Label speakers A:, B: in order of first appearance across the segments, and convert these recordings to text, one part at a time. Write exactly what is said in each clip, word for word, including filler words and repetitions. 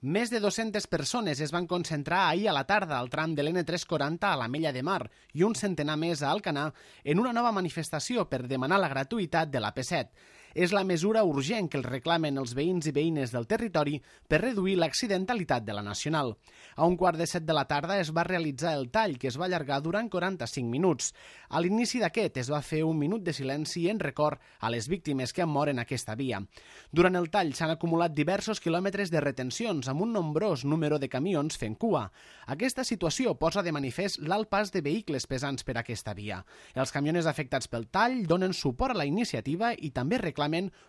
A: Més de dues-centes persones es van concentrar ahir a la tarda al tram de l'N tres cents quaranta a l'Ametlla de Mar i un centenar més a Alcanar en una nova manifestació per demanar la gratuïtat de l'A P set. És la mesura urgent que els reclamen els veïns i veïnes del territori per reduir l'accidentalitat de la Nacional. A un quart de set de la tarda es va realitzar el tall, que es va allargar durant quaranta-cinc minuts. A l'inici d'aquest es va fer un minut de silenci en record a les víctimes que han mort en aquesta via. Durant el tall s'han acumulat diversos quilòmetres de retencions amb un nombrós número de camions fent cua. Aquesta situació posa de manifest l'alt pas de vehicles pesants per aquesta via. Els camioners afectats pel tall donen suport a la iniciativa i també reclamen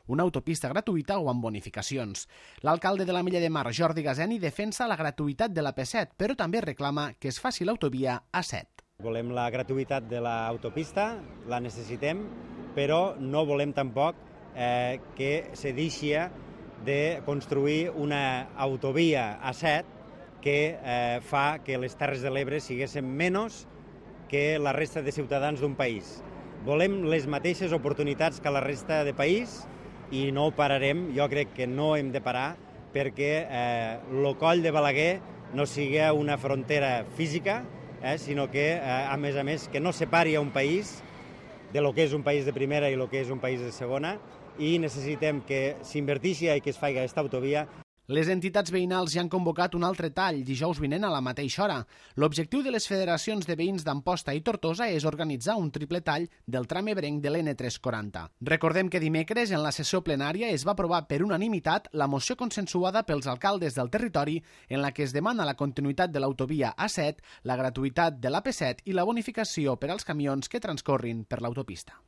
A: una autopista gratuïta o amb bonificacions. L'alcalde de l'Ametlla de Mar, Jordi Gazeni, defensa la gratuïtat de l'A P set, però també reclama que es faci l'autovia A set.
B: Volem la gratuïtat de l'autopista, la necessitem, però no volem tampoc eh, que se deixi de construir una autovia A set que eh, fa que les Terres de l'Ebre siguessin menys que la resta de ciutadans d'un país. Volem les mateixes oportunitats que la resta de país i no ho pararem, jo crec que no hem de parar perquè eh, el coll de Balaguer no sigui una frontera física, eh, sinó que, eh, a més a més, que no separi a un país de lo que és un país de primera i lo que és un país de segona, i necessitem que s'inverteixi i que es faci aquesta autovia.
A: Les entitats veïnals ja han convocat un altre tall dijous vinent a la mateixa hora. L'objectiu de les federacions de veïns d'Amposta i Tortosa és organitzar un triple tall del tram ebrenc de l'N tres cents quaranta. Recordem que dimecres, en la sessió plenària, es va aprovar per unanimitat la moció consensuada pels alcaldes del territori en la que es demana la continuïtat de l'autovia A set, la gratuïtat de l'A P set i la bonificació per als camions que transcorrin per l'autopista.